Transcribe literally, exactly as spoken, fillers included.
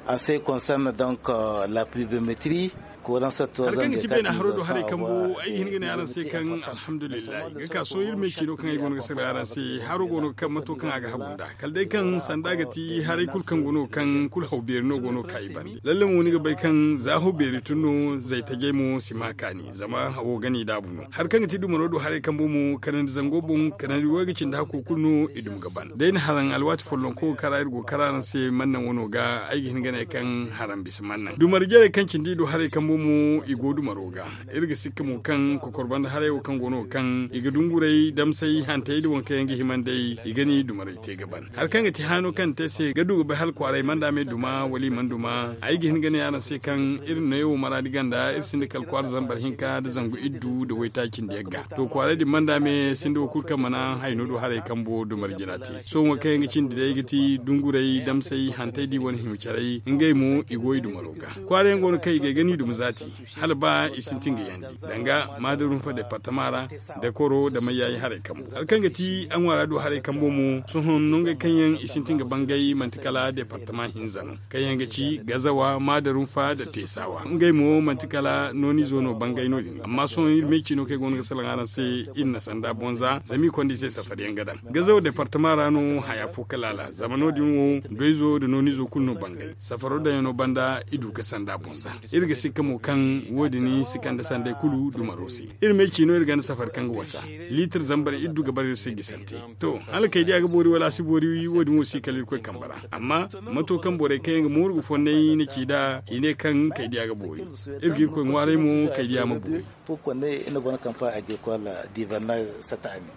An se konserne donk la pluviometri. Hari kaŋ ga ti beene haro do haray kambo ay ga hin ga ne araŋ se kaŋ alhamdulillahi ga ka sohõ iri me ciino kaŋ ay go no ga salaŋ araŋ se haro go no ga kaŋ mato kaŋ a ga hagu nd'a kala day kaŋ sanda ga ti haray kulu kaŋ go no ga kaŋ kulu haw beeri no go no ga ka i bande lalle mo ni ga bay kaŋ za haw beeri tun no zaytajey mo si ma kaani zama hawo ga n'i daabu no. Hari kaŋ ga ti dumaro do haray kambo mo kanandi zango boŋ kanandi wo ga cindi hakko kulu no i dum ga ban da ay na haraŋ alwaati follonko ga kara iri go ga kara araŋ se mannaŋ wano ga ay ga hin ga ne kaŋ haraŋ bisa mannaŋ dumari jarey kaŋ cindi i do haray kambo mo i go dumaro ga. Iri ga sikka mo kaŋ kokor banda haray wo kaŋ go no ga kaŋ i ga dunguray damsay hantey da waŋ kaŋ yaŋ ga hima nd'ey i ga ni dumaray te ga ban hari kaŋ ga ti haano kaŋ te se ga du ga bay hala kwaaray mana dame duma wala i mana duma ay ga hin ga ne araŋ se kaŋ iri na neewo maraadi ganda iri sinda kala kwaara zambar hinka nda zangu iddu nda waytaaci nda yagga to kwaaray din mana dame sinda wo kulu kaŋ mana hayno do haray kambo dumari jina te sohõ wo kaŋ yaŋ ga cindi day ga ti dunguray damsay hantey da i wane hima caray ngey mo i go i dumaro ga kwaara yaŋ go no kaŋ i ga ay ga ni duma zaati hala ba i sintin ga yandi danga maadarunfa departama ra da koro da mayyayi haray kambo hari kaŋ ga ti a ŋwaara du haray kambo mo sohõ nongey kaŋ yaŋ i sintin ga bangay manti kala departama hinza no kaŋ yaŋ ga ci gazawa maadarunfa da teesawa ngey mo manti kala noonizo no bangay no- din amma sohõ iri me ciino kaŋ ay go no ga salaŋ araŋ se iri na sanda bonza zama i konda i se safari yaŋ ga daŋ gazawa departama ra no haya fo kala a la zama no- din wo doyzo nda noonizo kulu no bangay safaro daŋyaŋo banda i du ga sanda bonza iri ga sikka mo kaŋ wo- din si kande sanday kulu dumaro se iri me ciino iri ganda safari kaŋ ga wasa liitir zambar iri du ga bara iri se gisante to hala kaydiya ga boori wala a si boori wo- din wo si kala irkoy kambe ra amma mato kaŋ borey kaŋ yaŋ ga mooru ga fonnay na ci nd'a i ne kaŋ kaydiya ga boori iri ga irkoy ŋwaaray mo kaydiya ma boori. Pour konne iri na gona kampa agricol diivanna sata a ne.